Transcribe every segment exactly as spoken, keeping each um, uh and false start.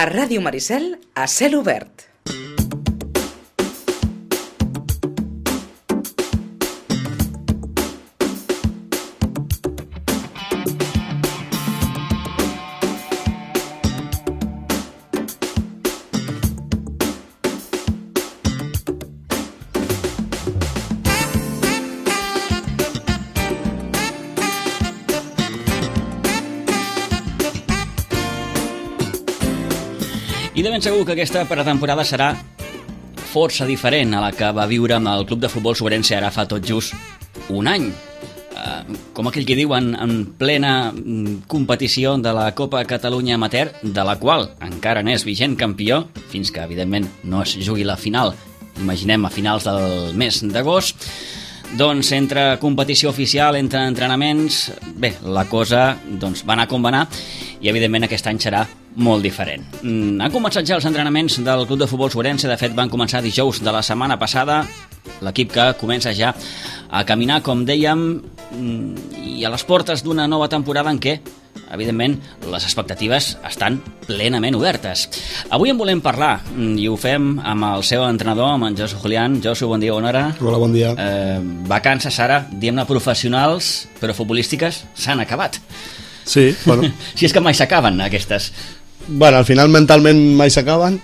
A Ràdio Maricel, a cel obert. I de ben segur que aquesta pretemporada serà força diferent a la que va viure amb el Club de Futbol Sobrense ara fa tot just un any. Uh, com aquell que diu, en, en plena competició de la Copa Catalunya Amateur, de la qual encara n'és vigent campió, fins que, evidentment, no es jugui la final, imaginem a finals del mes d'agost. Doncs entre competició oficial, entre entrenaments, bé, la cosa doncs, va anar com va anar i evidentment aquest any serà molt diferent. Mm, han començat ja els entrenaments del Club de Futbol Sobrense, de fet van començar dijous de la setmana passada, l'equip que comença ja a caminar, com dèiem, i a les portes d'una nova temporada en què, evidentment, les expectatives estan plenament obertes. Avui en volem parlar, i ho fem amb el seu entrenador, amb en Josu Julián. Josu, bon dia, bona hora. Hola, bon dia. Eh, vacances ara, diguem-ne professionals, però futbolístiques, s'han acabat. Sí, bueno. Si és que mai s'acaben, aquestes. Bueno, al final mentalment mai s'acaben,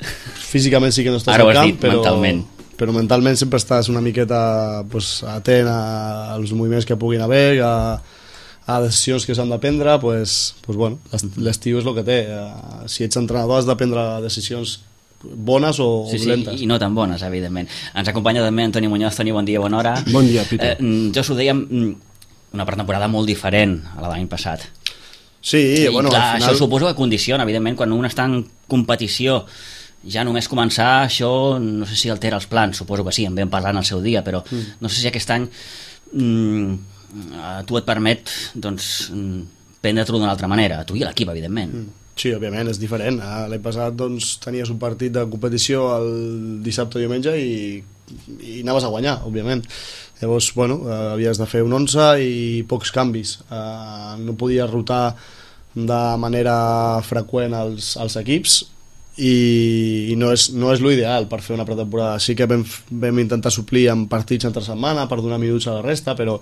físicament sí que no estàs Ara al ho has camp, dit, però, mentalment. però mentalment sempre estàs una miqueta pues, atent a- als moviments que puguin haver, a, a decisions que s'han de prendre, pues, pues, bueno, l'est- l'estiu és el que té. Eh, Si ets entrenador has de prendre decisions bones o Sí, sí, dolentes. i no tan bones, evidentment. Ens acompanya també Antoni Muñoz. Toni, bon dia, bona hora. Bon dia, Peter. Eh, jo us ho dèiem, mm, una pretemporada molt diferent a la de l'any passat. Sí, I bueno, clar, al final... això suposo que condiciona, evidentment, quan un està en competició, ja només començar, això no sé si altera els plans, suposo que sí, en vam parlar en el seu dia, però mm. no sé si aquest any mm, a tu et permet doncs, mm, prendre-t'ho d'una altra manera, a tu i a l'equip, evidentment. Mm. Sí, òbviament, és diferent. Ah, L'any passat doncs, tenies un partit de competició el dissabte o diumenge i, i anaves a guanyar, òbviament. Llavors, bueno, eh, havies de fer un onze i pocs canvis. Eh, no podies rotar de manera freqüent els, els equips i, i no és, no és l'ideal per fer una pretemporada. Sí que vam, vam intentar suplir amb partits entre setmana per donar minuts a la resta, però,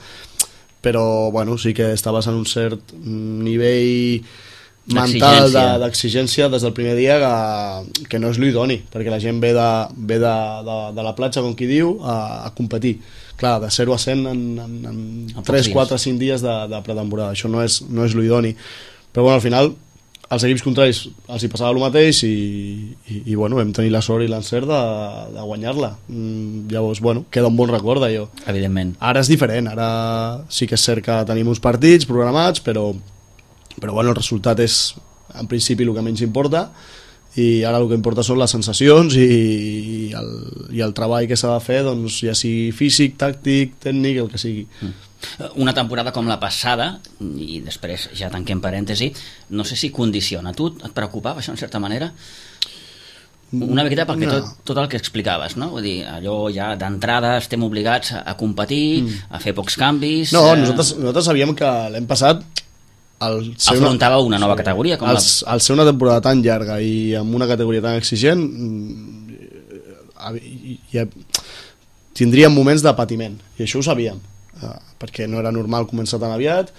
però bueno, sí que estaves en un cert nivell mental de- D'exigència. d'exigència des del primer dia que, que no és l'idoni, perquè la gent ve de, ve de, de, de la platja, com qui diu, a, a competir. Clar, de zero a cent en, en, en pocs tres, dies. quatre, cinc dies de, de pretemporada. Això no és, no és l'idoni. Però bueno, al final als equips contraris els hi passava el mateix i, i, i bueno, vam tenir la sort i l'encert de, de guanyar-la. Mm, llavors, bueno, queda un bon record d'allò. Evidentment. Ara és diferent, ara sí que és cert que tenim uns partits programats, però, però bueno, el resultat és en principi el que menys importa i ara el que importa són les sensacions i, i, el, i el treball que s'ha de fer, doncs, ja sigui físic, tàctic, tècnic, el que sigui. Una temporada com la passada, i després ja tanquem parèntesi, no sé si condiciona. Tu et preocupava això en certa manera? Una miqueta perquè No. tot, tot el que explicaves, no? Vull dir, allò ja d'entrada estem obligats a, a competir, a fer pocs canvis... No, eh, nosaltres, nosaltres sabíem que l'any passat el ser afrontava una nova categoria com el, la... al ser una temporada tan llarga i amb una categoria tan exigent ja tindríem moments de patiment i això ho sabíem eh, perquè no era normal començar tan aviat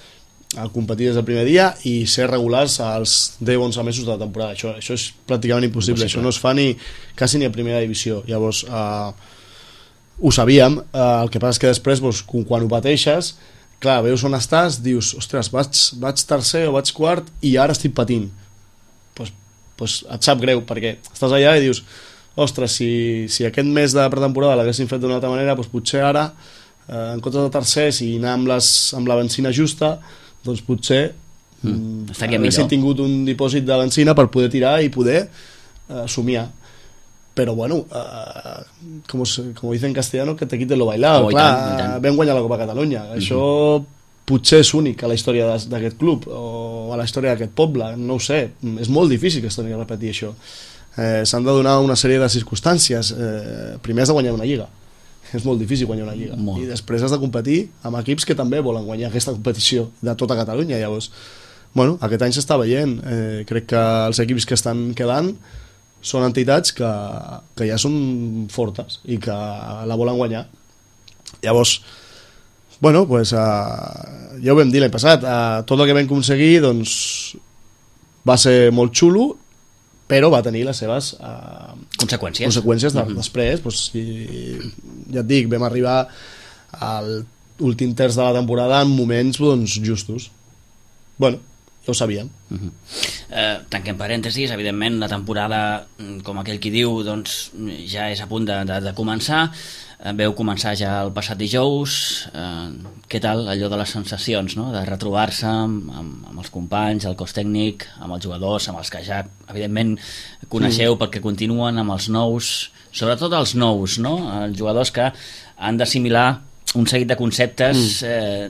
a competir des del primer dia i ser regulars als deu onze mesos de la temporada. Això, això és pràcticament impossible. Impossible. Això no es fa ni, quasi ni a primera divisió. Llavors eh, ho sabíem, eh, el que passa és que després doncs, quan ho pateixes, clar, veus on estàs, dius, ostres, vaig, vaig tercer o vaig quart i ara estic patint. Pues, pues et sap greu, perquè estàs allà i dius, ostres, si, si aquest mes de pretemporada l'haguessin fet d'una altra manera, doncs potser ara, eh, en comptes de tercers i anar amb, les, amb la benzina justa, doncs potser Mm, estaria haguessin millor. tingut un dipòsit de benzina per poder tirar i poder eh, somiar. Però bueno, eh, com, com dicen en castellano, que te quiten lo bailado. Oh, i clar, tant, i tant. vam guanyar la Copa Catalunya. Mm-hmm. Això potser és únic a la història d'es- d'aquest club o a la història d'aquest poble, no ho sé. És molt difícil que es torni a repetir això. Eh, S'han de donar una sèrie de circumstàncies. Eh, primer has de guanyar una lliga. És molt difícil guanyar una lliga. Molt. I després has de competir amb equips que també volen guanyar aquesta competició de tota Catalunya. Llavors, bueno, aquest any s'està veient. Eh, crec que els equips que estan quedant són entitats que, que ja són fortes i que la volen guanyar. Llavors, bueno, pues, uh, ja ho vam dir l'any passat, uh, tot el que vam aconseguir doncs, va ser molt xulo, però va tenir les seves uh, conseqüències, conseqüències de, mm-hmm. després. Pues, i, ja et dic, vam arribar al últim terç de la temporada en moments doncs, justos. Bueno, ja ho sabíem. Uh-huh. eh, tanquem parèntesis, evidentment la temporada, com aquell qui diu, doncs, ja és a punt de, de, de començar. eh, veu començar ja el passat dijous. eh, què tal allò de les sensacions, no? De retrobar-se amb, amb, amb els companys, el cos tècnic, amb els jugadors, amb els que ja evidentment coneixeu mm. perquè continuen, amb els nous, sobretot els nous, no? Els jugadors que han d'assimilar un seguit de conceptes mm. eh,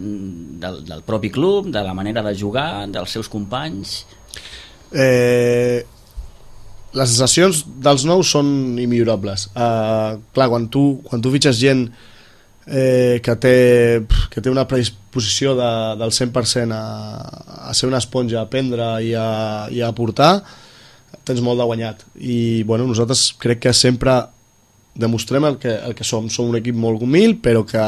del, del propi club, de la manera de jugar, dels seus companys. Eh, les sensacions dels nous són immillorables. Eh, clar, quan tu, quan tu fitxes gent eh, que, té, que té una predisposició de, del cent per cent a, a ser una esponja, a aprendre i a, i a aportar, tens molt de guanyat. I bueno, nosaltres crec que sempre demostrem el que, el que som. Som un equip molt humil, però que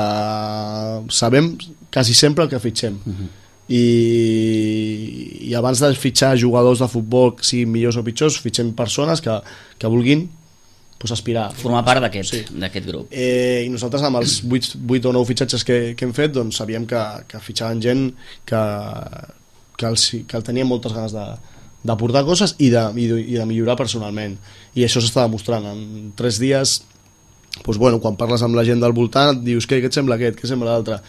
sabem quasi sempre el que fitxem. Uh-huh. I, i abans de fitxar jugadors de futbol, siguin millors o pitjors, fitxem persones que, que vulguin pues, aspirar. Formar part d'aquest sí. d'aquest grup. Eh, I nosaltres amb els vuit o nou fitxatges que, que hem fet doncs, sabíem que, que fitxaven gent que, que, els, que el tenien moltes ganes de d'aportar coses i de, i, de, i de millorar personalment, i això s'està demostrant en tres dies. Doncs, bueno, quan parles amb la gent del voltant et dius què, què et sembla aquest, què et sembla l'altre,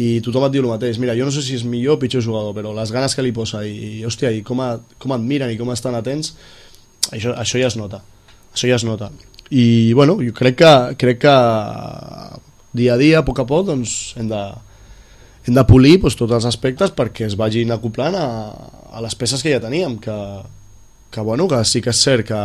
i tothom et diu el mateix. Mira, jo no sé si és millor o pitjor jugador, però les ganes que li posa i, i hòstia, i com, a, com admiren i com estan atents, això, això ja es nota, això ja es nota. I bueno, jo crec que, crec que dia a dia, a poc a poc, doncs hem de hem de polir doncs, tots els aspectes perquè es vagin acoplant a, a les peces que ja teníem, que, que, bueno, que sí que és cert que,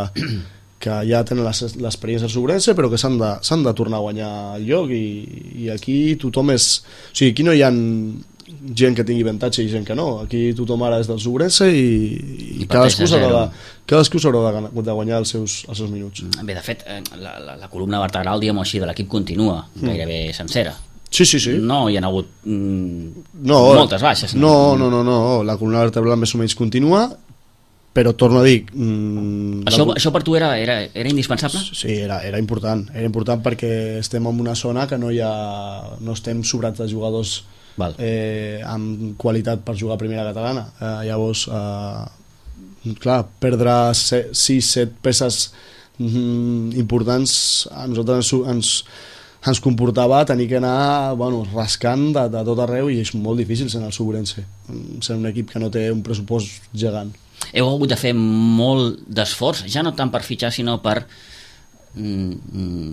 que ja tenen l'experiència del Sobrense, però que s'han de, s'han de tornar a guanyar el lloc, i, i aquí tothom és... O sigui, aquí no hi ha gent que tingui avantatge i gent que no, aquí tothom ara és del Sobrense i, i, I cadascú s'haurà de, cadascú s'haurà de, de guanyar els seus, els seus minuts. Bé, de fet, la, la, la columna vertebral, diguem-ho així, de l'equip continua gairebé mm. sencera. Sí, sí, sí. No hi ha hagut mm, no, moltes baixes. No? No, no, no, no, la columna vertebral més o menys continua, però torno a dir... Mm, això, la... això per tu era, era, era indispensable? Sí, era, era important. Era important perquè estem en una zona que no hi ha... no estem sobrats de jugadors eh, amb qualitat per jugar a primera catalana. Eh, llavors, eh, clar, perdre sis set peces mm, importants a nosaltres ens... ens ens comportava tenir que anar bueno, rascant de, de tot arreu, i és molt difícil ser el Sobrense, ser un equip que no té un pressupost gegant. Heu hagut de fer molt d'esforç, ja no tant per fitxar sinó per mm,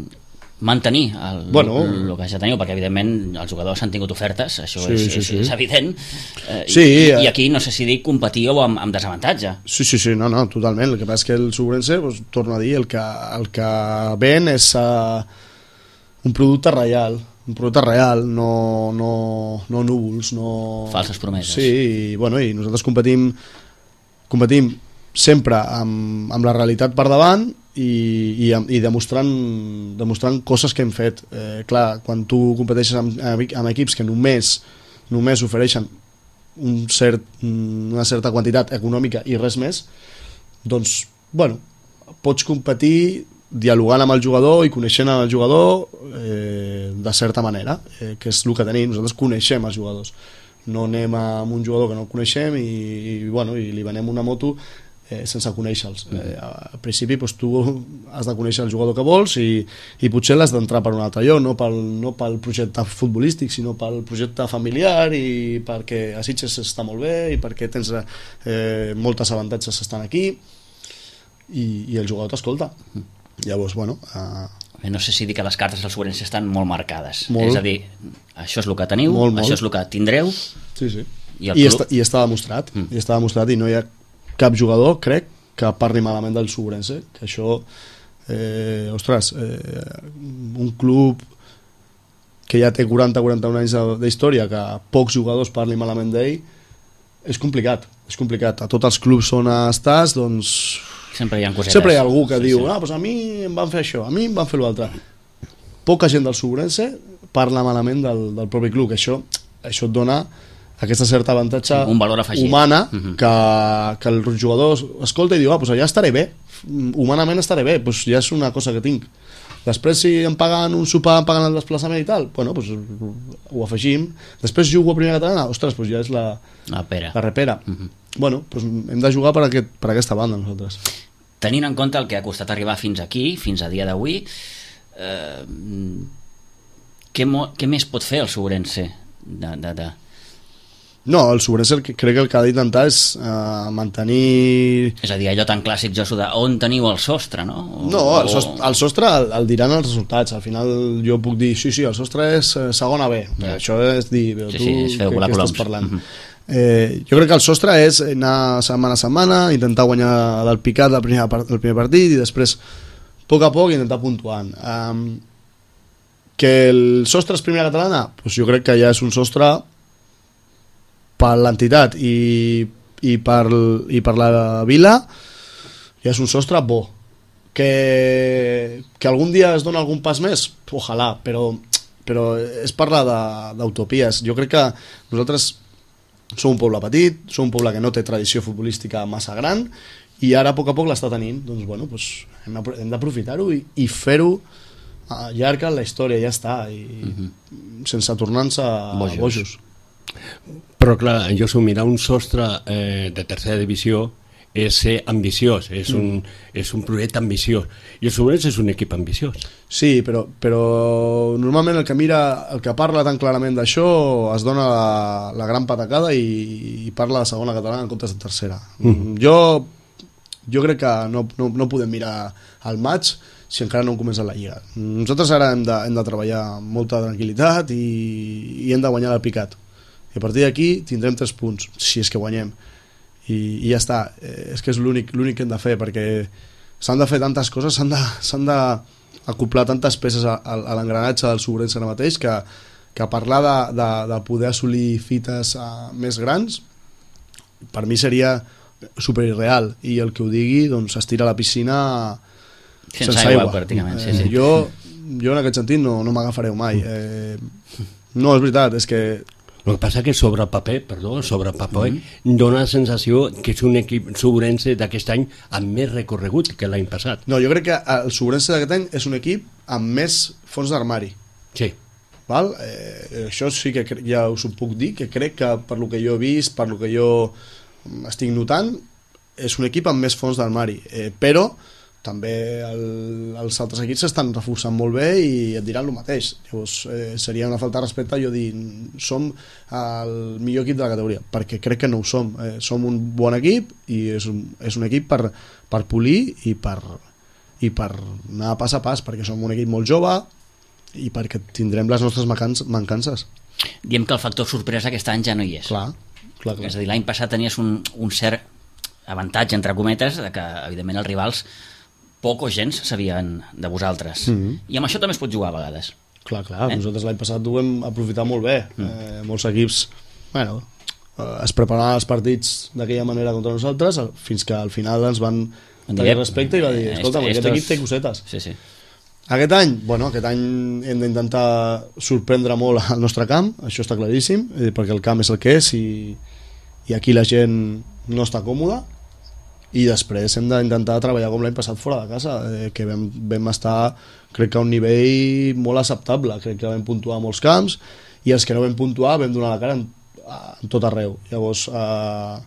mantenir el, bueno, el que ja teniu, perquè evidentment els jugadors han tingut ofertes, això sí, és, sí, és, sí. és evident, eh, sí, i, eh... i aquí no sé si dic competíeu amb, amb desavantatge. Sí, sí, sí, no, no, totalment. El que passa és que el Sobrense, doncs, torno a dir, el que, el que ven és uh, un producte real, un producte real, no, no, no núvols, no... Falses promeses. Sí, i, bueno, i nosaltres competim, competim sempre amb, amb la realitat per davant i, i, i demostrant, demostrant coses que hem fet. Eh, clar, quan tu competeixes amb, amb equips que només, només ofereixen un cert, una certa quantitat econòmica i res més, doncs, bueno, pots competir dialogant amb el jugador i coneixent el jugador eh, de certa manera, eh, que és el que tenim. Nosaltres coneixem els jugadors, no anem amb un jugador que no coneixem i, i, bueno, i li venem una moto eh, sense conèixer-los. Eh, al principi doncs, tu has de conèixer el jugador que vols i, i potser l'has d'entrar per un altre lloc, no pel, no pel projecte futbolístic, sinó pel projecte familiar, i perquè a Sitges està molt bé i perquè tens eh, moltes avantatges estan aquí, i, i el jugador t'escolta. Llavors, bueno... Uh... No sé si dir que les cartes del Sobrense estan molt marcades. Molt. És a dir, això és el que teniu, molt, molt. Això és el que tindreu... Sí, sí. I, I, està, i està demostrat. Mm. I està demostrat, i no hi ha cap jugador, crec, que parli malament del Sobrense, que això... Eh, ostres, eh, un club que ja té quaranta quaranta-un anys d'història, que pocs jugadors parlin malament d'ell, és complicat, és complicat. A tots els clubs on estàs, doncs... Sempre hi ha cosetes. Sempre hi ha algú que sí, diu, sí. ah, doncs a mi em van fer això, a mi em van fer l'altre. Poca gent del Sobrense parla malament del, del propi club, que això, això et dona aquesta certa avantatge un valor afegit. humana uh-huh. que, que el jugador escolta i diu, ah, doncs allà estaré bé, humanament estaré bé, doncs ja és una cosa que tinc. Després si em paguen un sopar, em paguen el desplaçament i tal, bueno, doncs ho afegim. Després jugo a primera catalana, ostres, doncs ja és la, la, pera. la repera. Uh-huh. Bueno, doncs hem de jugar per, aquest, per aquesta banda nosaltres. Tenint en compte el que ha costat arribar fins aquí, fins a dia d'avui, eh, què, mo, què més pot fer el Sobrense? De, de, de... No, el Sobrense crec que el que ha d'intentar és uh, mantenir... És a dir, allò tan clàssic, Josu, de on teniu el sostre, no? O, no, el sostre, el, sostre el, el diran els resultats. Al final jo puc dir, sí, sí, el sostre és uh, segona B. Ja. Això és dir, sí, tu sí, és fer què, què estàs parlant? Uh-huh. Eh, jo crec que el sostre és anar setmana a setmana, intentar guanyar del picat del primer, del primer partit i després, a poc a poc, intentar puntuant. Um, que el sostre és primera catalana? Pues jo crec que ja és un sostre per l'entitat i, i, per, i per la vila, ja és un sostre bo. Que, que algun dia es dona algun pas més? Ojalà, però, però és parlar d'utopies. Jo crec que nosaltres som un poble petit, som un poble que no té tradició futbolística massa gran i ara a poc a poc l'està tenint, doncs bueno, doncs hem d'aprofitar-ho i, i fer-ho llarg en la història, ja està, i uh-huh. sense tornar-nos bojos. bojos. Però clar, jo s'ho mirar un sostre eh, de tercera divisió és ser ambiciós, és un, mm. és un projecte ambiciós, i el Sobrense és un equip ambiciós. Sí, però, però normalment el que mira, el que parla tan clarament d'això es dona la, la gran patacada i, i parla de segona catalana en comptes de tercera. Mm. Jo, jo crec que no, no, no podem mirar el maig si encara no hem començat la Lliga. Nosaltres ara hem de, hem de treballar amb molta tranquil·litat i, i hem de guanyar el picat. I a partir d'aquí tindrem tres punts, si és que guanyem. I, i ja està, eh, és que és l'únic l'únic que hem de fer, perquè s'han de fer tantes coses, s'han de, s'han d'acoplar tantes peces a, a, a l'engranatge del Sobrense ara mateix que, que parlar de, de, de poder assolir fites uh, més grans per mi seria superirreal, i el que ho digui doncs es tira a la piscina sense, sense aigua, aigua. Pràcticament, sí, sí. Eh, jo, jo en aquest sentit no, no m'agafareu mai, eh, no, és veritat, és que el que passa que sobre paper, perdó, sobre paper mm-hmm. dona la sensació que és un equip Sobrense d'aquest any amb més recorregut que l'any passat. No, jo crec que el Sobrense d'aquest any és un equip amb més fons d'armari. Sí. Val? Eh, això sí que ja us ho puc dir, que crec que per lo que jo he vist, per lo que jo estic notant, és un equip amb més fons d'armari. Eh, però també el, els altres equips s'estan reforçant molt bé i et diran el mateix. Llavors eh, seria una falta de respecte jo dir som el millor equip de la categoria, perquè crec que no ho som. Eh, som un bon equip i és un, és un equip per, per polir i per, i per anar pas a pas, perquè som un equip molt jove i perquè tindrem les nostres mancances. Diem que el factor sorpresa aquest any ja no hi és. Clar, clar, clar. És a dir, l'any passat tenies un, un cert avantatge, entre cometes, de que evidentment els rivals poc o gens sabien de vosaltres. Mm-hmm. I amb això també es pot jugar a vegades. Clar, clar, eh? Nosaltres l'any passat ho vam aprofitar molt bé. Mm. Eh, molts equips, bueno, eh, es preparaven els partits d'aquella manera contra nosaltres, fins que al final ens van tenir respecte i va dir, escolta, aquest equip té cosetes. Sí, sí. Aquest any, bueno, aquest any hem d'intentar sorprendre molt al nostre camp, això està claríssim, perquè el camp és el que és i, i aquí la gent no està còmoda. I després hem d'intentar treballar com l'any passat fora de casa, eh, que vam, vam estar crec que a un nivell molt acceptable, crec que vam puntuar a molts camps i els que no vam puntuar vam donar la cara en, en tot arreu. Llavors eh,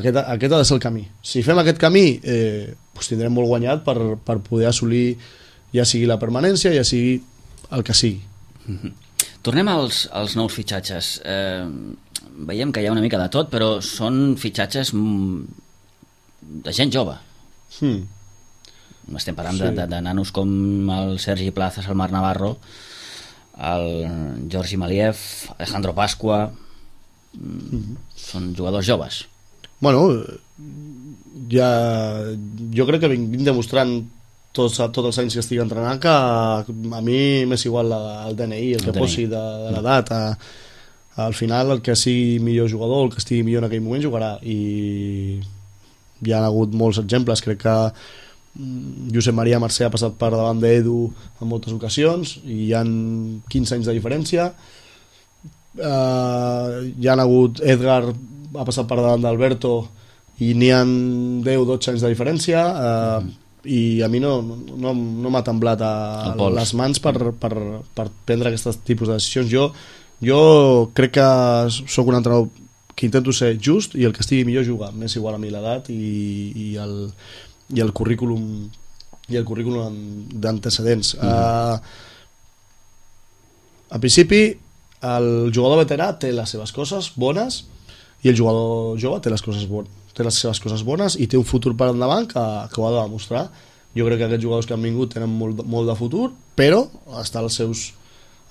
aquest, aquest ha de ser el camí. Si fem aquest camí eh, doncs tindrem molt guanyat per, per poder assolir ja sigui la permanència, ja sigui el que sigui. Mm-hmm. Tornem als, als nous fitxatges. Eh, veiem que hi ha una mica de tot, però són fitxatges de gent jove. Hmm. Estem parlant sí. de, de, de nanos com el Sergi Plazas, el Marc Navarro, el Jordi Maliev, Alejandro Pasqua. Mm-hmm. Són jugadors joves. Bueno, ja, jo crec que vinc demostrant tots, tots els anys que estic entrenant que a mi m'és igual la, el D N I, el, el que D N I. Posi de, de l'edat. al final el que sigui millor jugador, el que estigui millor en aquell moment jugarà, i hi ha hagut molts exemples. Crec que Josep Maria Mercè ha passat per davant d'Edu en moltes ocasions i hi ha quinze anys de diferència. Uh, hi ha hagut Edgar ha passat per davant d'Alberto i n'hi ha deu o dotze anys de diferència, uh, mm. i a mi no, no, no m'ha temblat a les mans per, per, per prendre aquests tipus de decisions. Jo, jo crec que sóc un entrenador que intento ser just, i el que estigui millor juga. M'és igual a mi l'edat i, i, el, i el currículum i el currículum d'antecedents. Mm. Uh, a principi el jugador veterà té les seves coses bones i el jugador jove té les coses bones, té les seves coses bones i té un futur per endavant que, que ho ha de demostrar. Jo crec que aquests jugadors que han vingut tenen molt, molt de futur, però està als seus,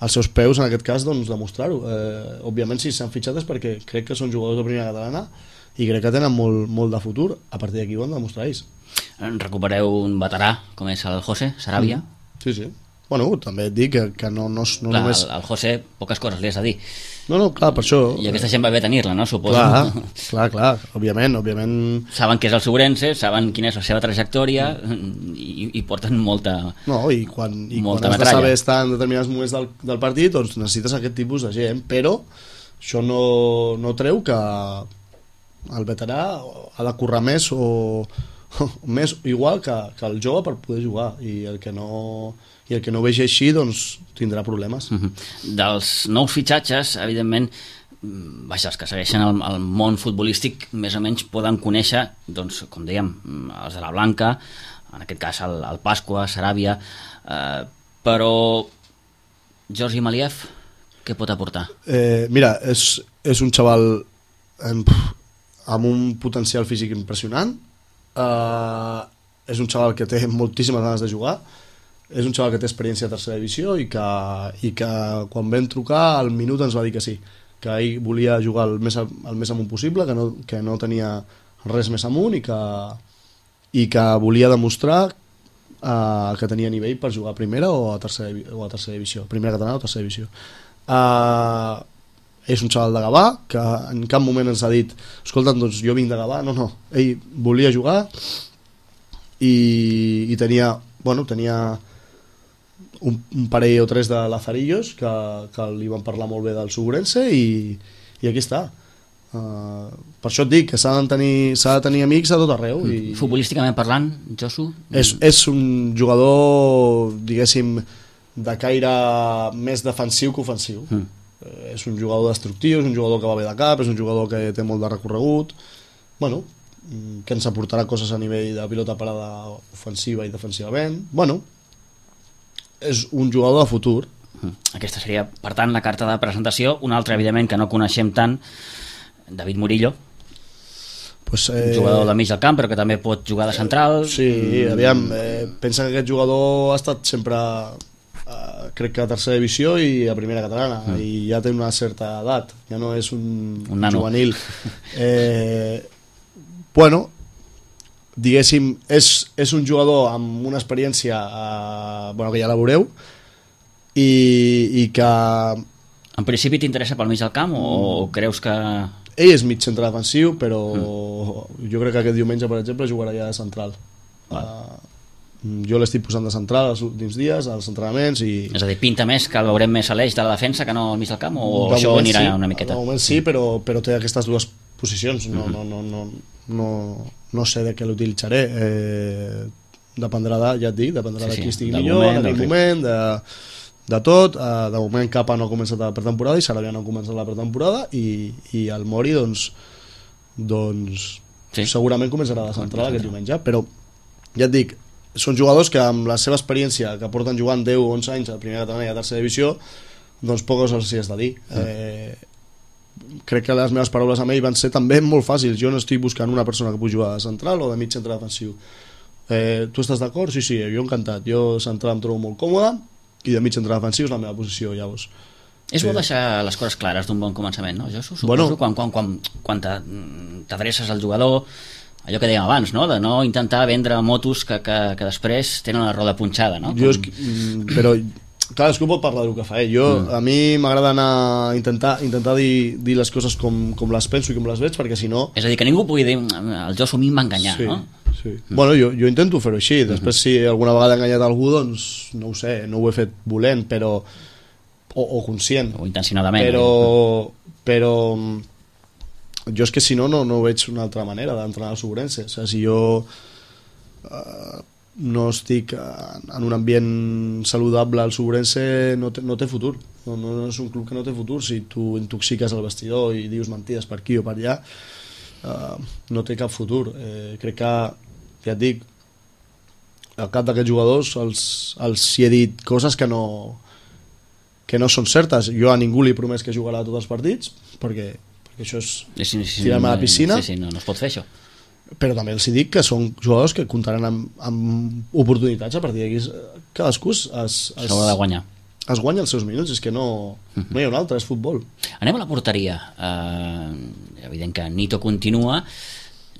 als seus peus, en aquest cas, doncs, demostrar-ho. Eh, òbviament, si s'han fitxat és perquè crec que són jugadors de primera catalana i crec que tenen molt, molt de futur. A partir d'aquí ho han de demostrar ells. Recupereu un veterà com és el José Sarabia. Mm. Sí, sí. Bueno, també et dic que, que no, no, no clar, només... El, el José, poques coses li has de dir. No, no, clar, per això... I aquesta gent va bé tenir-la, no? Suposo. Clar, clar, clar, òbviament, òbviament... Saben què és el Sobrense, saben quina és la seva trajectòria i, i porten molta No, i quan, i molta quan has metralla. de saber estar en determinats moments del, del partit, doncs necessites aquest tipus de gent, però això no, no treu que el veterà ha de currar més o més igual que, que el jove per poder jugar, i el que no... i el que no vegi així doncs tindrà problemes. Uh-huh. Dels nous fitxatges, evidentment, vaja, els que segueixen el, el món futbolístic més o menys poden conèixer, doncs, com dèiem, els de la Blanca, en aquest cas el, el Pasqua, Saràbia, eh, però Georgi Maliev, què pot aportar? Eh, mira, és, és un xaval amb, amb un potencial físic impressionant, eh, és un xaval que té moltíssimes ganes de jugar, és un xaval que té experiència de tercera divisió i que, i que quan vam trucar al minut ens va dir que sí, que ell volia jugar el més, el més amunt possible, que no, que no tenia res més amunt i que, i que volia demostrar uh, que tenia nivell per jugar a primera o a tercera, o a tercera divisió, primera catalana o tercera divisió. Uh, és un xaval de Gavà que en cap moment ens ha dit escolta, doncs jo vinc de Gavà, no, no, ell volia jugar i, i tenia, bueno, tenia Un, un parell o tres de Lazarillos que, que li van parlar molt bé del Sobrense i, i aquí està. Uh, per això et dic que s'ha de tenir, s'ha de tenir amics a tot arreu. I futbolísticament parlant, Josu? És, és un jugador, diguéssim, de caire més defensiu que ofensiu. Mm. Uh, és un jugador destructiu, és un jugador que va bé de cap, és un jugador que té molt de recorregut. Bueno, que ens aportarà coses a nivell de pilota parada ofensiva i defensivament. Bueno, és un jugador de futur. Aquesta seria, per tant, la carta de presentació. Un altre, evidentment, que no coneixem tant, David Murillo, pues, eh... jugador de mig del camp, però que també pot jugar de central. Sí, aviam, eh, pensa que aquest jugador ha estat sempre, eh, crec que a tercera divisió i a primera catalana, mm. i ja té una certa edat, ja no és un, un juvenil. Eh, bueno, diguéssim, és, és un jugador amb una experiència eh, bueno, que ja la veureu i, i que... En principi t'interessa pel mig del camp o, o creus que... Ell és mig centre defensiu, però mm. jo crec que aquest diumenge, per exemple, jugarà ja de central. Uh, jo l'estic posant de central els últims dies, als entrenaments i... És a dir, pinta més que el veurem més a l'eix de la defensa que no al mig del camp o de això anirà sí, una miqueta? De moment sí, però, però té aquestes dues posicions, no, no, no, no, no, no sé de què l'utilitzaré, eh, dependrà de, ja et dic, dependrà sí, sí, de qui estigui millor moment, en aquell moment, de, de tot. Eh, de moment Capa no ha començat la pretemporada i Sarabia no ha començat la pretemporada i, i el Mori doncs, doncs sí. segurament començarà de central aquest diumenge, però ja et dic, són jugadors que amb la seva experiència que porten jugant deu o onze anys a primera catalana i a tercera divisió, doncs poques els hi has de dir. Eh, crec que les meves paraules amb ell van ser també molt fàcils. Jo no estic buscant una persona que pugui jugar de central o de mig centre defensiu. Eh, tu estàs d'acord? Sí, sí, jo encantat. Jo central em trobo molt còmode i de mig centre defensiu és la meva posició, llavors. És bo deixar les coses clares d'un bon començament, no, Josu? Suposo, bueno, quan, quan, quan, quan t'adreces al jugador, allò que dèiem abans, no? De no intentar vendre motos que, que, que després tenen la roda punxada, no? Com... Jo és, però cadascú pot parlar del que fa ell. Jo, mm. A mi m'agrada anar intentar, intentar dir, dir les coses com, com les penso i com les veig, perquè si no... És a dir, que ningú pugui dir el Josu a mi em va enganyar, sí, no? Sí. Mm. Bueno, jo, jo intento fer-ho així. Després, mm-hmm. si alguna vegada he enganyat algú, doncs no ho sé, no ho he fet volent, però... o, o conscient. O intencionadament. Però... però jo és que si no, no, no veig una altra manera d'entrenar al Sobrense. O sigui, si jo eh, no estic en un ambient saludable al Sobrense, no té, no té futur. No, no, no és un club que no té futur. Si tu intoxiques el vestidor i dius mentides per aquí o per allà, eh, no té cap futur. Eh, crec que, ja et dic, al cap d'aquests jugadors els, els hi he dit coses que no, que no són certes. Jo a ningú li he promès que jugarà tots els partits, perquè que això és sí, sí, sí, tirar-me a la piscina, sí, sí, no, no es pot fer això, però també els dic que són jugadors que comptaran amb, amb oportunitats a partir d'aquí. Cadascú es, es, s'haurà de guanyar, es guanya els seus minuts, és que no, no hi ha un altre, és futbol. Anem a la porteria. Eh, evident que Nito continua,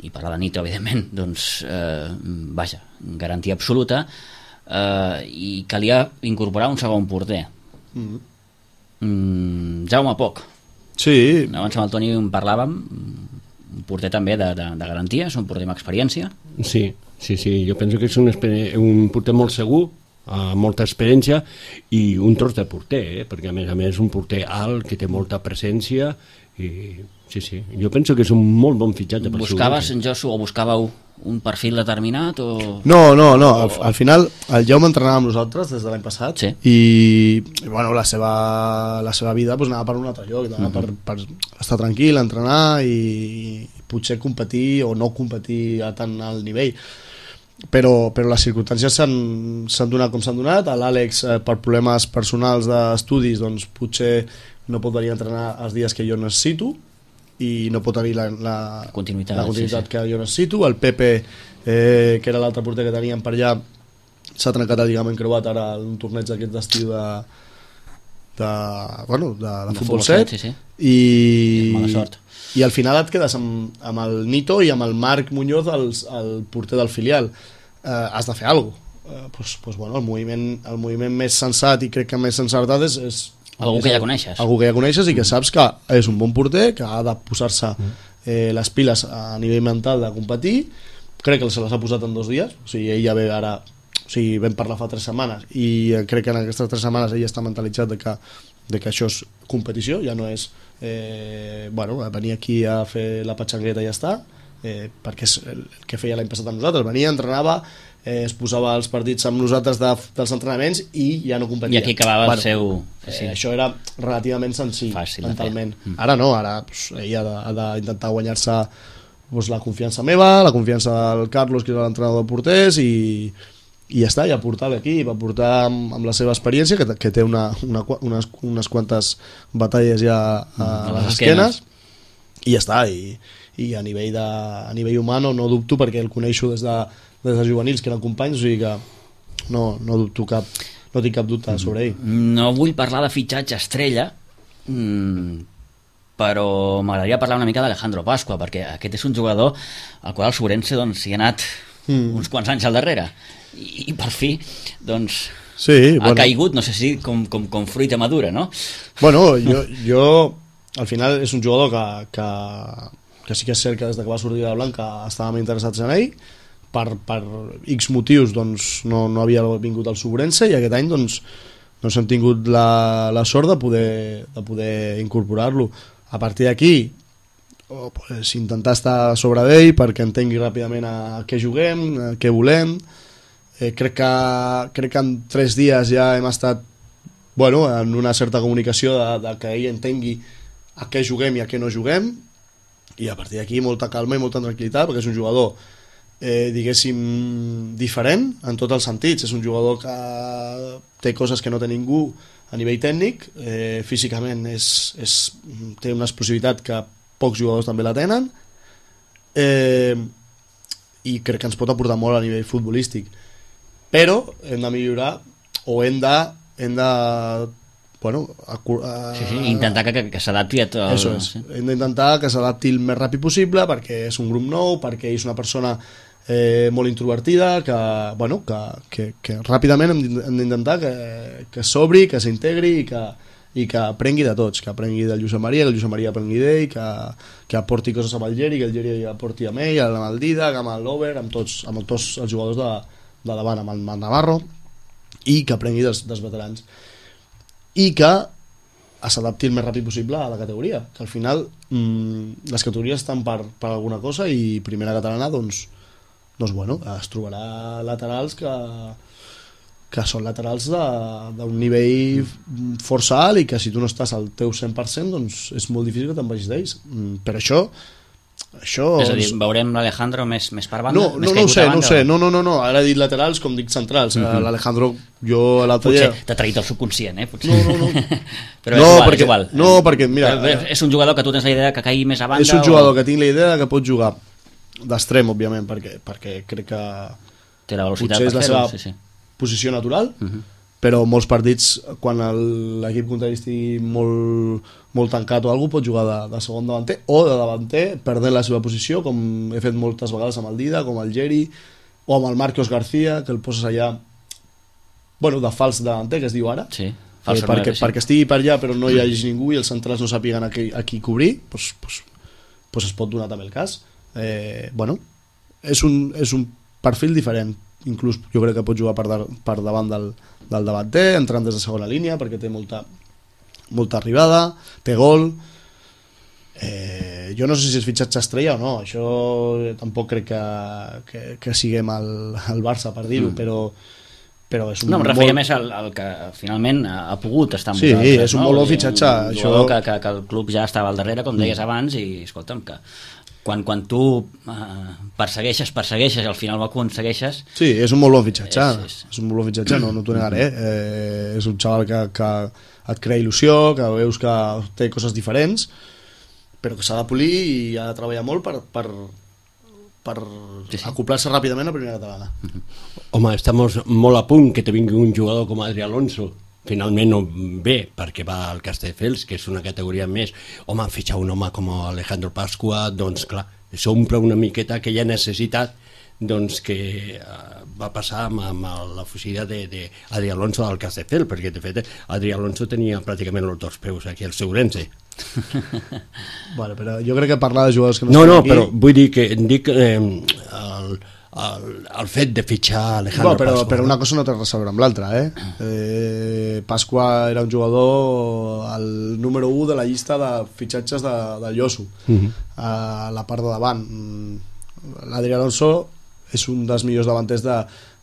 i parlar de Nito, evidentment, doncs, eh, vaja, garantia absoluta, eh, i calia incorporar un segon porter. Mm-hmm. mm, Jaume Poch. Sí. Abans amb el Toni en parlàvem, un porter també de, de, de garantia, és un porter amb experiència. Sí, sí, sí, jo penso que és un, un porter molt segur, amb molta experiència, i un tros de porter, eh? Perquè a més a més un porter alt, que té molta presència, i sí, sí, jo penso que és un molt bon fitxatge. Buscaves, en Josu, o buscàveu un perfil determinat? O... No, no, no, al, al final el Jaume entrenava amb nosaltres des de l'any passat, sí. i, i bueno, la seva, la seva vida pues, anava per un altre lloc, anava uh-huh. per, per estar tranquil, entrenar i, i potser competir o no competir a tant alt nivell. Però, però les circumstàncies s'han donat com s'han donat. L'Àlex, eh, per problemes personals d'estudis, doncs potser no pot venir a entrenar els dies que jo necessito i no pot tenir la, la continuïtat, la continuïtat sí, sí. que jo necessito. El Pepe, eh, que era l'altre porter que teníem per allà, s'ha trencat el lligament creuat ara en un torneig d'aquest d'estiu de, de, bueno, de, de, de futbol set, sí, sí. I, I mala sort. I al final et quedes amb, amb el Nito i amb el Marc Muñoz, el, el porter del filial. Eh, has de fer alguna cosa. Eh, pues, pues, bueno, el, moviment, el moviment més sensat i crec que més encertat és, és algú que ja coneixes. Algú que ja coneixes i que saps que és un bon porter, que ha de posar-se eh, les piles a nivell mental de competir. Crec que se les ha posat en dos dies, o sigui, ell ja ve ara, o sigui, vam parlar fa tres setmanes i crec que en aquestes tres setmanes ell està mentalitzat de que, de que això és competició, ja no és eh, bueno, venir aquí a fer la patxangueta i ja està, eh, perquè és el que feia l'any passat amb nosaltres, venia, entrenava, eh, es posava els partits amb nosaltres de, dels entrenaments i ja no competia. I aquí acabava bueno, el seu... Sí. Eh, això era relativament senzill, fàcil mentalment. Mm. Ara no, ara pues, ell ha d'intentar guanyar-se pues, la confiança meva, la confiança del Carlos, que és l'entrenador de porters, i, i ja està, i aportar l'equip, aportar amb, amb la seva experiència, que, que té una, una, unes, unes quantes batalles ja a, a, a les esquenes, i ja està, i, i a nivell, de, a nivell humà no, no dubto, perquè el coneixo des de, des de juvenils, que eren companys, o sigui que no, no dubto cap, no tinc cap dubte sobre ell. No vull parlar de fitxatge estrella, mmm, però m'agradaria parlar una mica d'Alejandro Pasqua, perquè aquest és un jugador al qual el Sobrense doncs, hi ha anat mm. uns quants anys al darrere, i, i per fi doncs, sí, ha bueno. caigut, no sé si com, com, com fruita madura, no? Bueno, jo, jo al final és un jugador que, que, que sí que és cert que des que va sortir de Blanca estàvem interessats en ell, per, per X motius doncs, no, no havia vingut al Sobrense, i aquest any doncs, doncs hem tingut la, la sort de poder, de poder incorporar-lo. A partir d'aquí oh, pues, intentar estar sobre d'ell perquè entengui ràpidament a què juguem, a què volem. Eh, crec, que, crec que en tres dies ja hem estat bueno, en una certa comunicació de, de que ell entengui a què juguem i a què no juguem, i a partir d'aquí molta calma i molta tranquil·litat, perquè és un jugador eh, diguéssim diferent en tots els sentits. És un jugador que té coses que no té ningú a nivell tècnic, eh, físicament és, és, té una explosivitat que pocs jugadors també la tenen, eh, i crec que ens pot aportar molt a nivell futbolístic, però hem de millorar o hem de, hem de bueno, a, a, sí, sí, intentar que, que, que s'adapti a tot. Això és, sí. Hem d'intentar que s'adapti el més ràpid possible, perquè és un grup nou, perquè és una persona eh, molt introvertida, que, bueno, que, que, que ràpidament hem hem d'intentar que, que s'obri, que s'integri i que, i que aprengui de tots, que aprengui del Josep Maria, que el Josep Maria aprengui d'ell, que, que aporti coses amb el Geri, que el Geri aporti amb ell, amb el Didac, amb l'Over, amb tots, amb tots els jugadors de, de davant, amb el Navarro, i que aprengui dels, dels veterans. I que s'adapti el més ràpid possible a la categoria, que al final mmm, les categories estan per, per alguna cosa i primera catalana, doncs, doncs bueno, es trobarà laterals que que són laterals d'un nivell força alt i que si tu no estàs al teu cent per cent doncs és molt difícil que te'n vagis d'ells. Per això això... És a dir, veurem l'Alejandro més, més per banda? No, no, no ho sé, no ho sé, no, no, no, no, ara he dit laterals com dic centrals. Uh-huh. L'Alejandro, jo l'altre dia... Potser t'ha traït el subconscient, eh? Potser. No, no, no. Però no, és igual, perquè, és igual. No, perquè, mira... Però és un jugador que tu tens la idea que caigui més a banda? És un jugador o... que tinc la idea que pot jugar d'extrem, òbviament, perquè, perquè crec que... Té la velocitat potser és per la seva sí, sí. posició natural, Uh-huh. però molts partits, quan l'equip contrari estigui molt, molt tancat o alguna cosa, pot jugar de, de segon davanter o de davanter, perdent la seva posició, com he fet moltes vegades amb el Dida, com el Geri, o amb el Marcos García, que el poses allà, bueno, de fals davanter, que es diu ara, sí, eh, perquè, sí. perquè estigui per allà però no hi hagi ningú i els centrals no sàpiguen a qui, a qui cobrir, doncs, doncs, doncs es pot donar també el cas. Eh, bueno, és un, és un perfil diferent, inclús jo crec que pot jugar per, de, per davant del, del davanter, entrant des de segona línia perquè té molta, molta arribada, té gol. Eh, jo no sé si és fitxatge estrella o no, això tampoc crec que, que, que siguem al, al Barça per dir-ho, mm. però, però és un no, em referia molt... més al, al que finalment ha pogut estar amb sí, vosaltres. És un no? molt bon fitxatge. Un això... que, que, que el club ja estava al darrere, com deies abans, i escolta'm, que quan, quan tu eh, persegueixes, persegueixes i al final ho aconsegueixes... Sí, és un molt bon fitxatge, és, és... és un molt bon fitxatge, no, no t'ho negaré. Eh, és un xaval que, que et crea il·lusió, que veus que té coses diferents, però que s'ha de polir i ha de treballar molt per, per, per sí, sí. acoplar-se ràpidament a primera catalana. Home, estamos molt a punt que te vingui un jugador com Adri Alonso. Finalment no ve perquè va al Castelldefels, que és una categoria més. Home, fitxar un home com Alejandro Pascua, doncs clar, s'omple una miqueta aquella necessitat doncs, que uh, va passar amb, amb la fugida d'Adri Alonso al Castelldefels, perquè de fet Adri Alonso tenia pràcticament els dos peus aquí al Segurense. Bueno, però jo crec que parlar de jugadors que no, no no, aquí... però vull dir que dic eh, el, el, el fet de fitxar Alejandro no, però, Pascua. Però una cosa no té res a veure amb l'altra, eh? eh? Pascua era un jugador el número u de la llista de fitxatges de, del Lloso, uh-huh. a la part de davant. L'Adri Alonso és un dels millors davanters de,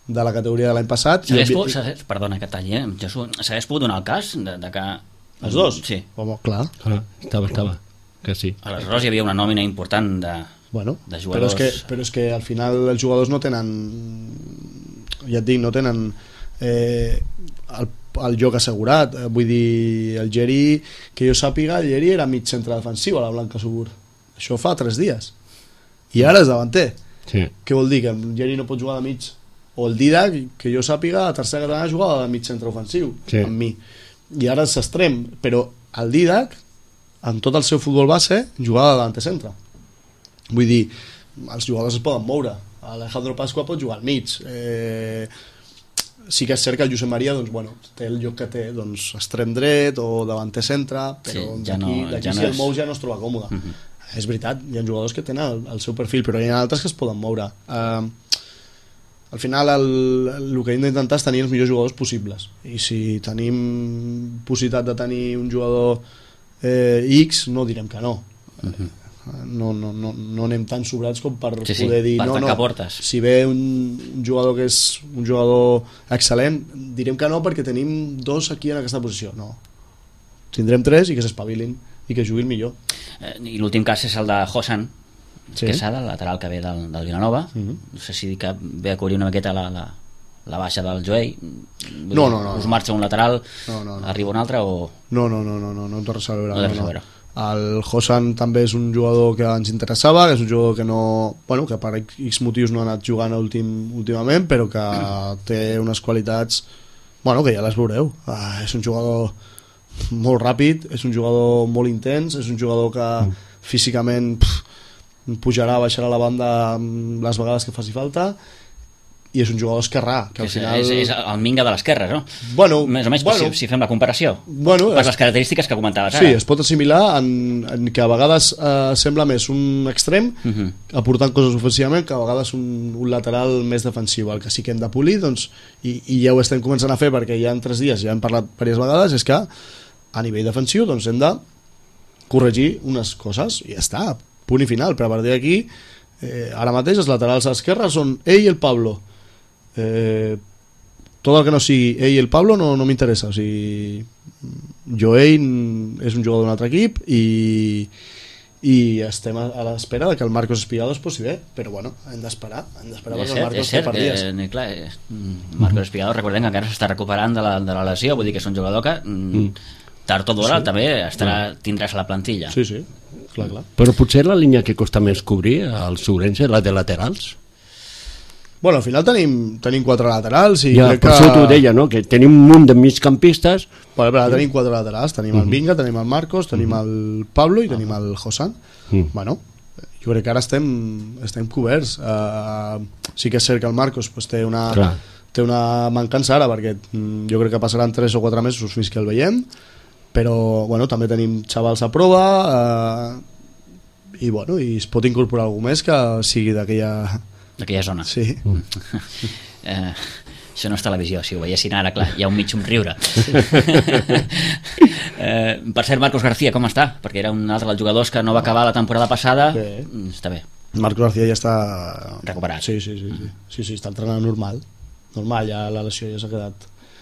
de la categoria de l'any passat. S'hagués i... pogut, s'hagués, perdona que talli, eh? S'hagués pogut donar el cas de, de que... Els dos? Sí. Home, clar. Ah, estava, estava, que sí. Aleshores hi havia una nòmina important de, bueno, de jugadors. jugadors. Però és, que, però és que al final els jugadors no tenen, ja et dic, no tenen eh, el, el joc assegurat. Vull dir, el Geri, que jo sàpiga, el Geri era mig centre defensiu a la Blanca Subur. Això fa tres dies. I ara és davanter. Sí. Què vol dir? Que el Geri no pot jugar de mig? O el Didac, que jo sàpiga, a tercera catalana jugava de mig centre ofensiu, sí. amb mi. I ara és extrem, però el Didac, en tot el seu futbol base, jugava de davanter centre. Vull dir, els jugadors es poden moure. Alejandro Pascua pot jugar al mig. Eh, sí que és cert que el Josep Maria, doncs, bueno, té el lloc que té, doncs, extrem dret o davanter centre, però sí, ja d'aquí, no, d'aquí ja si no el és... mou ja no es troba còmode. Uh-huh. És veritat, hi ha jugadors que tenen el, el seu perfil, però hi ha altres que es poden moure. Eh, al final el, el que hem d'intentar és tenir els millors jugadors possibles, i si tenim possibilitat de tenir un jugador eh, X, no direm que no. Uh-huh. no, no, no, no anem tan sobrats com per sí, poder sí, dir per no, no, portes. Si ve un, un jugador que és un jugador excel·lent, direm que no perquè tenim dos aquí en aquesta posició. No, tindrem tres i que s'espavilin i que juguin millor. Eh, i l'últim cas és el de Hosan, sí. Quesada, el lateral que ve del, del Vilanova. Uh-huh. No sé si que ve a cobrir una miqueta la, la, la baixa del Joey. No, no, no. Us marxa un lateral, no, no, no. arriba un altre o... No, no, no, no, no, no té res a veure. No té res a veure. El Hosan també és un jugador que ens interessava, que és un jugador que no, bueno, que per X motius no ha anat jugant últim, últimament, però que té unes qualitats, bueno, que ja les veureu. Ah, és un jugador molt ràpid, és un jugador molt intens, és un jugador que mm. físicament pff, pujarà, baixarà la banda les vegades que faci falta, i és un jugador esquerrà que al és, final... és, és el Minga de l'esquerra, no? Bueno, més o menys, bueno, si, si fem la comparació, bueno, per es... les característiques que comentaves sí, ara. es pot assimilar en, en que a vegades eh, sembla més un extrem uh -huh. aportant coses ofensivament que a vegades un, un lateral més defensiu. El que sí que hem de polir, doncs, i, i ja ho estem començant a fer perquè ja en tres dies ja hem parlat diverses vegades, és que a nivell defensiu doncs, hem de corregir unes coses i ja està, punt i final. Però a partir d'aquí eh, ara mateix els laterals a l'esquerra són ell i el Pablo. Eh, tot el que no sigui ell i el Pablo no, no m'interessa. O sigui, Joey és un jugador d'un altre equip i, i estem a, a l'espera de que el Marcos Espigado es posi bé, però bueno, hem d'esperar hem d'esperar perquè el Marcos té per dies. Eh, clar, eh, Marcos Espigado, recordem que encara s'està recuperant de la, de la lesió, vull dir que és un jugador que mm. tard o d'hora sí. també estarà, tindràs a la plantilla. Sí, sí, clar, clar. Però potser la línia que costa més cobrir al Ourense, la de laterals. Bueno, al final tenim, tenim quatre laterals i ja, crec per que... això t'ho deia, no? Que tenim un munt de migcampistes. Bueno, però tenim quatre laterals, tenim uh -huh. el Vinga, tenim el Marcos, tenim uh -huh. el Pablo i tenim el Josan. Uh -huh. Bueno, jo crec que ara estem, estem coberts. Uh, sí que és cert que el Marcos pues, té una... Clar. té una mancança ara perquè jo crec que passaran tres o quatre mesos fins que el veiem, però bueno, també tenim xavals a prova eh, i bueno, i es pot incorporar algú més que sigui d'aquella d'aquella zona. Sí. Mm. eh, això no és televisió, si ho veiessin ara, clar, hi ha un mig somriure. eh, per cert, Marcos García, com està? Perquè era un altre dels jugadors que no va acabar la temporada passada. Bé. Està bé. Marcos García ja està recuperat. Sí, sí, sí, sí. sí, sí està entrenant normal. Normal, ja la lesió ja s'ha quedat.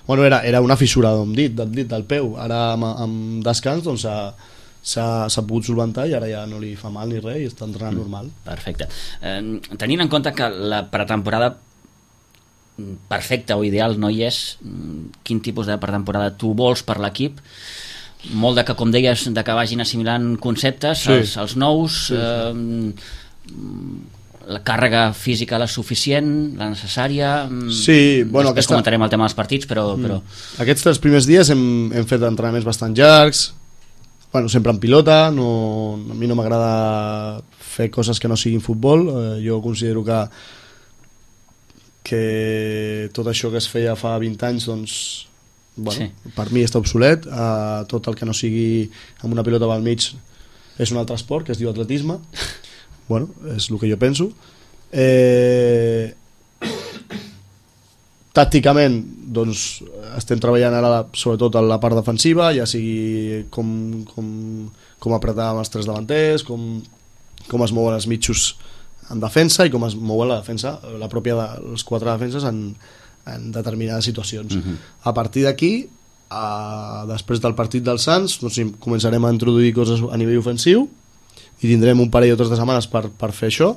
Bueno, era, era una fissura d'un dit, del dit del peu. Ara amb, amb descans doncs s'ha pogut solventar i ara ja no li fa mal ni res i està entrenant normal. Perfecte. Eh, tenint en compte que la pretemporada perfecta o ideal no hi és, quin tipus de pretemporada tu vols per l'equip? Molt de que, com deies, de que vagin assimilant conceptes, sí. els, els nous... Sí, sí. Eh, la càrrega física la suficient, la necessària. Sí, bueno, després aquesta... comentarem el tema dels partits, però... però... Aquests tres primers dies hem, hem fet entrenaments bastant llargs, bueno, sempre en pilota, no, a mi no m'agrada fer coses que no siguin futbol, eh, jo considero que que tot això que es feia fa vint anys, doncs, bueno, sí. per mi està obsolet, eh, tot el que no sigui amb una pilota pel mig és un altre esport que es diu atletisme. Bueno, és el que jo penso. Eh, tàcticament doncs estem treballant ara sobretot en la part defensiva, ja sigui com, com, com apretar amb els tres davanters, com, com es mouen els mitjos en defensa i com es mouen la defensa, la pròpia de, les quatre defenses en, en determinades situacions. Uh-huh. A partir d'aquí, a, després del partit dels Sants, doncs, començarem a introduir coses a nivell ofensiu i tindrem un parell o tres de setmanes per, per fer això,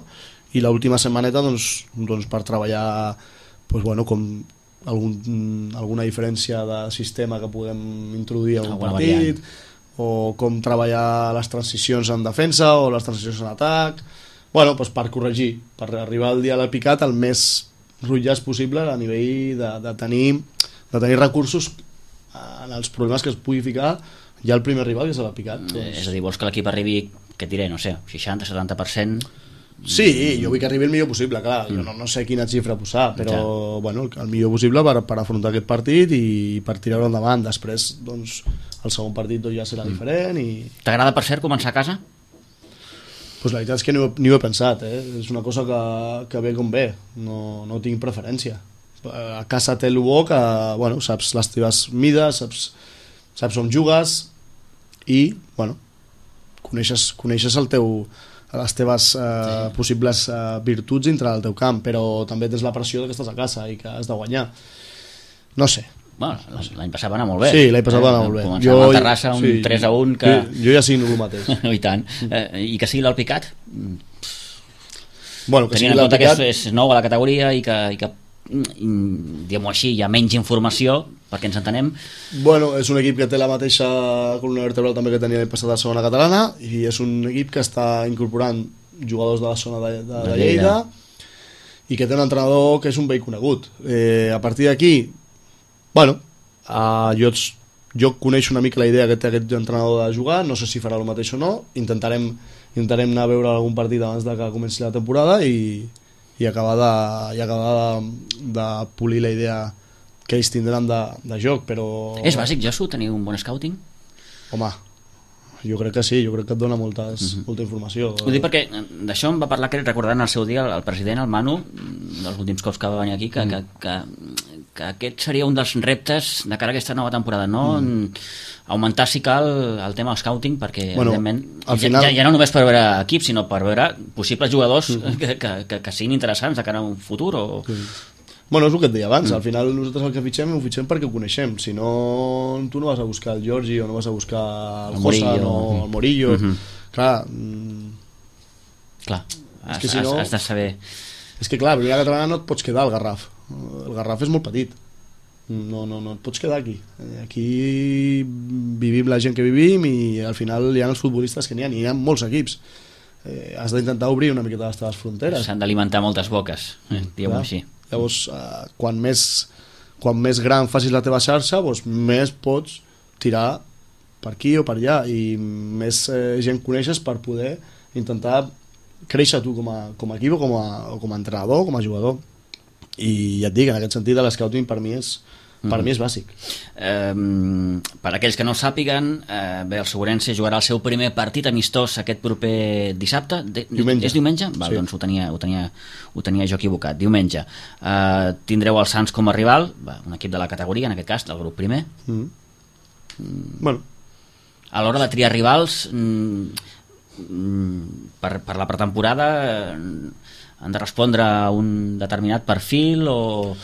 i l'última setmaneta doncs, doncs per treballar doncs, bueno, com algun, alguna diferència de sistema que podem introduir en un partit, variant. O com treballar les transicions en defensa o les transicions en atac, bueno, doncs per corregir, per arribar al dia del picat el més rotllàs possible a nivell de, de, tenir, de tenir recursos en els problemes que es pugui ficar ja el primer rival, que és el picat. Doncs... És a dir, vols que l'equip arribi, què diré, no sé, seixanta a setanta per cent? Sí, jo vull que arribi el millor possible, clar, jo no, no sé quina xifra posar, però ja. bueno, el millor possible per, per afrontar aquest partit i per tirar-ho endavant. Després, doncs, el segon partit doncs, ja serà mm. diferent. I... T'agrada, per cert, començar a casa? Pues la veritat és que ni ho, ni ho he pensat, eh? És una cosa que, que ve com ve, no, no tinc preferència. A casa té el bo que, bueno, saps les teves mides, saps, saps on jugues i, bueno, coneixes, coneixes el teu, les teves eh, sí. possibles eh, virtuts dintre del teu camp, però també tens la pressió que estàs a casa i que has de guanyar. No sé. Bueno, l'any passat va anar molt bé. Sí, l'any passat va anar molt bé. Començar amb el Terrassa, un sí, tres a un que... Jo, jo ja signo el mateix. I tant. Eh, I que sigui l'Alpicat? Bueno, que tenint en compte que és, és nou a la categoria i que, i que diguem-ho així, hi ha menys informació, perquè ens entenem. Bueno, és un equip que té la mateixa columna vertebral també que tenia l'any passat a la segona catalana, i és un equip que està incorporant jugadors de la zona de, de, de Lleida i que té un entrenador que és un vell conegut. Eh, a partir d'aquí, bueno, uh, jo, jo coneixo una mica la idea que té aquest entrenador de jugar, no sé si farà el mateix o no, intentarem, intentarem anar a veure algun partit abans de que comenci la temporada i, i acabar, de, i acabar de, de polir la idea que ells tindran de, de joc, però... És bàsic, Josu, tenir un bon scouting? Home, jo crec que sí, jo crec que et dona moltes, uh-huh. molta informació. Ho dic perquè d'això em va parlar, crec, recordant el seu dia el president, el Manu, dels últims cops que va venir aquí, que, mm. que, que, que aquest seria un dels reptes de cara a aquesta nova temporada, no? Mm. Augmentar, si cal, el tema del scouting, perquè, bueno, evidentment, ja, final... ja, ja no només per veure equips, sinó per veure possibles jugadors mm. que, que, que, que siguin interessants de cara a un futur o... Mm. Bueno, és el que et deia abans, mm. al final nosaltres el que fitxem ho fitxem perquè ho coneixem, si no tu no vas a buscar el Giorgi o no vas a buscar el, el Josa o mm. el Morillo, mm -hmm. clar mm, clar, has, que si no, has de saber és que clar, a primera catalana no et pots quedar al Garraf, el Garraf és molt petit, no, no, no et pots quedar aquí, aquí vivim la gent que vivim i al final hi ha els futbolistes que n'hi ha, hi ha molts equips, eh, has d'intentar obrir una miqueta les teves fronteres, s'han d'alimentar moltes boques, eh, diguem-ho així. Llavors, eh, quan, més, quan més gran facis la teva xarxa, doncs més pots tirar per aquí o per allà i més eh, gent coneixes per poder intentar créixer tu com a, com a equip o com a, o com a entrenador, com a jugador. I ja et dic, en aquest sentit, l'escouting per mi és, per mm. mi és bàsic. Eh, per aquells que no ho sàpiguen, eh, bé, el Segurense jugarà el seu primer partit amistós aquest proper dissabte. De, diumenge. És diumenge? Val, sí. Doncs ho tenia, ho, tenia, ho tenia jo equivocat. Diumenge. Eh, tindreu el Sants com a rival, un equip de la categoria, en aquest cas, del grup primer. Mm. Mm. Bueno. A l'hora de triar rivals, mm, per, per la pretemporada, han de respondre a un determinat perfil o...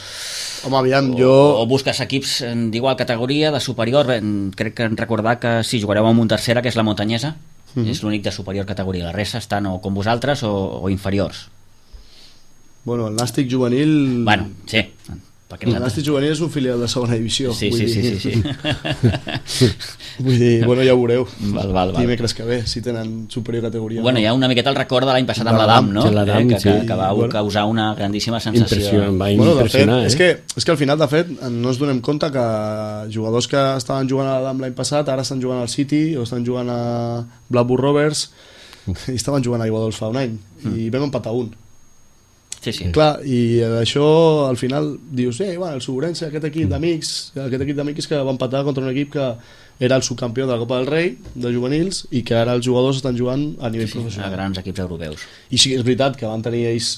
Home, aviam, o, jo... o busques equips d'igual categoria, de superior. Bé, crec que en recordar que si jugareu amb un tercera, que és la Muntanyesa, mm-hmm. és l'únic de superior categoria. La resta estan o com vosaltres o, o inferiors. Bueno, el Nàstic juvenil... Bueno, sí. El Nàstic juvenil és un filial de segona divisió. Sí, vull sí, dir... sí, sí, sí. Vull dir, bueno, ja ho veureu. Val, val, val. Dimecres que ve, si tenen superior categoria. Bueno, hi ha una miqueta el record de l'any passat amb l'Adam, no? L'Adam, eh, que, sí. que, que va bueno, causar una grandíssima sensació. Impressió, em va bueno, impressionar, fet, eh? És que, és que al final, de fet, no ens donem compte que jugadors que estaven jugant a l'Adam l'any passat ara estan jugant al City o estan jugant a Blackburn Rovers i estaven jugant a Iguadols fa un any mm. i vam empatar un. Sí, sí. Clar, i això al final dius, eh, bueno, el Segurense, aquest equip d'amics, aquest equip d'amics que va empatar contra un equip que era el subcampió de la Copa del Rei de juvenils i que ara els jugadors estan jugant a nivell sí, sí, professional. A grans equips europeus. I sí que és veritat que van tenir ells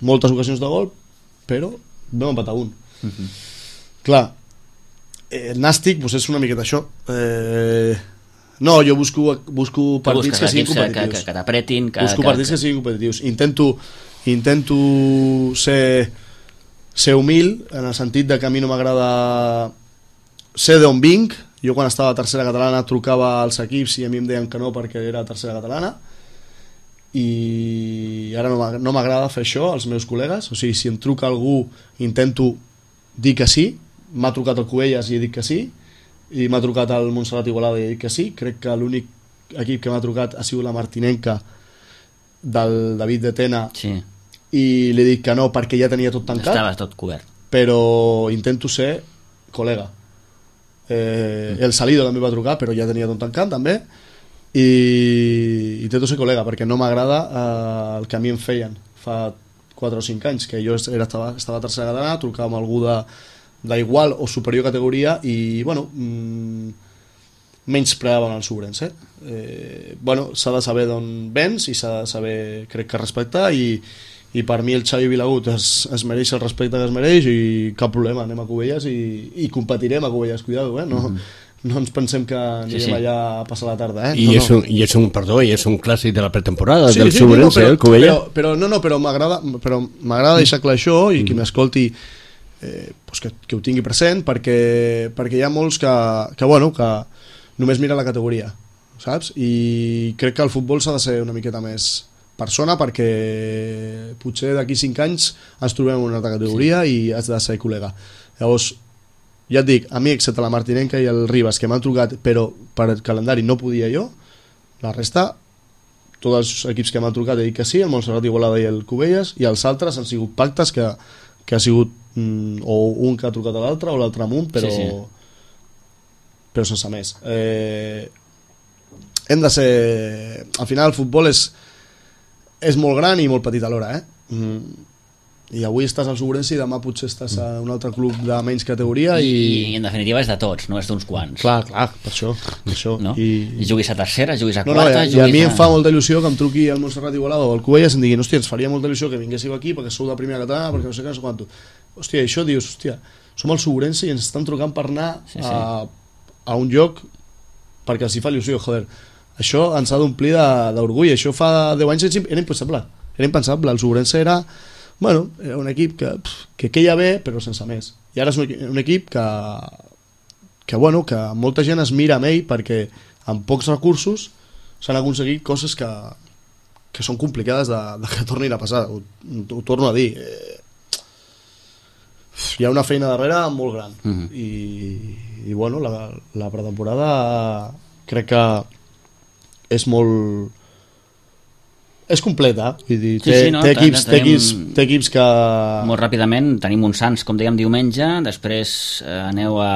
moltes ocasions de gol, però vam empatar un. Uh-huh. Clar, el Nàstic pues, és una miqueta això. Eh, no, jo busco, busco partits que siguin competitius. Que, que, que t'apretin. Que, busco que, partits que... que siguin competitius. Intento intento ser ser humil en el sentit de que a mi no m'agrada ser d'on vinc. Jo quan estava a tercera catalana trucava als equips i a mi em deien que no perquè era tercera catalana i ara no m'agrada fer això als meus col·legues, o sigui, si em truca algú intento dir que sí. M'ha trucat el Cubelles i he dit que sí, i m'ha trucat el Montserrat Igualada i he dit que sí. Crec que l'únic equip que m'ha trucat ha sigut la Martinenca del David de Tena, sí. I li he dit que no perquè ja tenia tot tancat. Estava tot cobert. Però intento ser col·lega. Eh, mm. El Salido també va trucar, però ja tenia tot tancat també. I intento ser col·lega perquè no m'agrada eh, el que a mi em feien fa quatre o cinc anys, que jo era, estava, estava a tercera catalana, trucava amb algú de d'igual o superior categoria i bueno mmm, menys preaven el Segurense. Eh, bueno, s'ha de saber d'on vens i s'ha de saber, crec que respectar i, i per mi el Xavi Vilagut es, es mereix el respecte que es mereix i cap problema, anem a Cubelles i, i competirem a Cubelles, cuidado, eh? No, mm. no ens pensem que anirem sí, sí. allà a passar la tarda, eh? I, no, és un, i és un, perdó, i és un clàssic de la pretemporada sí, del sí, Segurense, no, no, el Cubelles. Però, però, no, no, però m'agrada però m'agrada deixar clar això i mm. qui m'escolti eh, pues que, que ho tingui present perquè, perquè hi ha molts que, que, bueno, que només mira la categoria, saps? I crec que el futbol s'ha de ser una miqueta més persona perquè potser d'aquí cinc anys ens trobem en una altra categoria sí. I has de ser col·lega. Llavors, ja et dic, a mi excepte la Martinenca i el Ribas que m'han trucat però per el calendari no podia jo, la resta tots els equips que m'han trucat he dit que sí, el Montserrat Igualada i el Cubelles i els altres han sigut pactes que, que ha sigut mm, o un que ha trucat a l'altre o l'altre amb un però, sí, sí. però sense més. Eh, hem de ser... Al final el futbol és, és molt gran i molt petit alhora, eh? Mm. I avui estàs al Sobrense i demà potser estàs a un altre club de menys categoria i... I en definitiva és de tots, no és d'uns quants. Clar, clar, per això, per això. No? I... I juguis a tercera, juguis a no, quarta... no, i, juguis i a mi a... em fa molta il·lusió que em truqui el Montserrat Igualada o el Cubelles i em diguin, hòstia, ens faria molta il·lusió que vinguéssiu aquí perquè sou de primera catalana, perquè no sé què, no sé quanto. Hòstia, això dius, hòstia, som al Sobrense i ens estan trucant per anar sí, sí. A, a un lloc perquè els hi fa il·lusió, joder. Això ens ha d'omplir d'orgull, això fa deu anys era impensable, era impensable, el Sobrense era... Bueno, era un equip que, que queia bé, però sense més. I ara és un, un equip que, que, bueno, que molta gent es mira amb ell perquè amb pocs recursos s'han aconseguit coses que, que són complicades de, de que tornin a passar. Ho, ho torno a dir. Eh, hi ha una feina darrere molt gran. Mm-hmm. I, i bueno, la, la pretemporada crec que és molt... és completa, vull dir, té, sí, sí, no? té, equips, té, equips, té equips que... Molt ràpidament, tenim un Sants, com dèiem, diumenge, després eh, aneu a,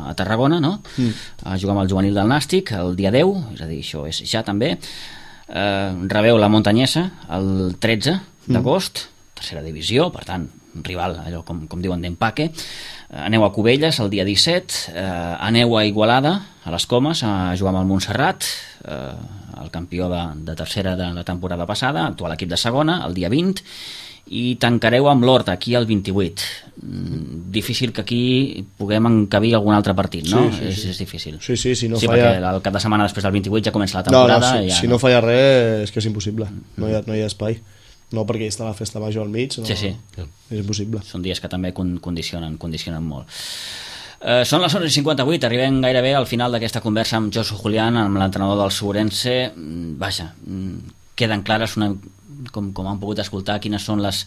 a Tarragona, no? Mm. A jugar amb el juvenil del Nàstic, el dia deu, és a dir, això és ja també. Eh, rebeu la Montanyesa el tretze d'agost, mm. tercera divisió, per tant, un rival, allò com, com diuen d'empaque. Eh, aneu a Cubelles el dia disset, eh, aneu a Igualada, a les Comes, a jugar amb el Montserrat, eh, el campió de, de tercera de la temporada passada, actual equip de segona, el dia vint, i tancareu amb l'Horta, aquí el vint-i-vuit. Mm, difícil que aquí puguem encabir algun altre partit, no? Sí, sí, sí. És, és difícil. Sí, sí, si no sí, falla... perquè el cap de setmana després del vint-i-vuit ja comença la temporada. No, no, si, ja, si no falla res és que és impossible, no hi ha, no hi ha espai. No perquè hi està la festa major al mig, no, sí, sí. És impossible. Són dies que també condicionen, condicionen molt. Uh, són les onze i cinquanta-vuit, arribem gairebé al final d'aquesta conversa amb Josu Julián, amb l'entrenador del Sobrense. Vaja, queden clares, una, com, com han pogut escoltar, quines són les,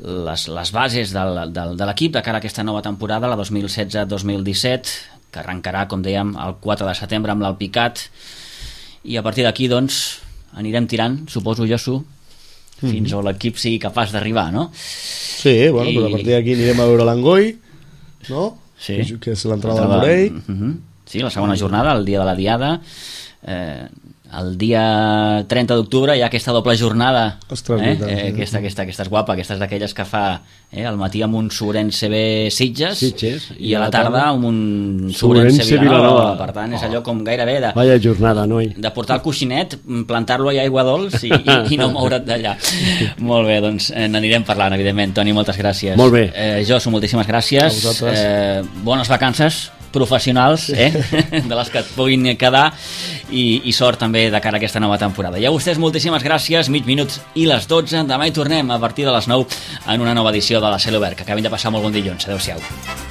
les, les bases del, del, de l'equip de cara a aquesta nova temporada, la dos mil setze dos mil disset, que arrencarà, com dèiem, el quatre de setembre amb l'Alpicat, i a partir d'aquí, doncs, anirem tirant, suposo, Josu, fins mm-hmm. on l'equip sigui capaç d'arribar, no? Sí, bueno, I... però a partir d'aquí anirem a veure l'Angoi, no? Sí. Que és l'entrada del Morell. Uh-huh. Sí, la segona jornada, el dia de la Diada. Eh, el dia trenta d'octubre hi ha aquesta doble jornada. Ostres, eh? Eh, aquesta, aquesta, aquesta és guapa, aquesta és d'aquelles que fa eh, al matí amb un Sobrense B Sitges, Sitges i, i a la tarda amb un Sobrense Vilanova. Per tant, és allò com gairebé de, Vaya jornada, noi. de portar el coixinet, plantar-lo a aigua dolç i, i, i no moure't d'allà. Molt bé, doncs eh, n'anirem parlant, evidentment. Toni, moltes gràcies. Molt bé. Eh, Josu, moltíssimes gràcies. Eh, bones vacances professionals, eh? de les que et puguin quedar, i, i sort també de cara a aquesta nova temporada. I a vostès moltíssimes gràcies, mig minut i les dotze, demà hi tornem a partir de les nou en una nova edició de la Celobert. Que acabin de passar molt bon dilluns. Adéu-siau.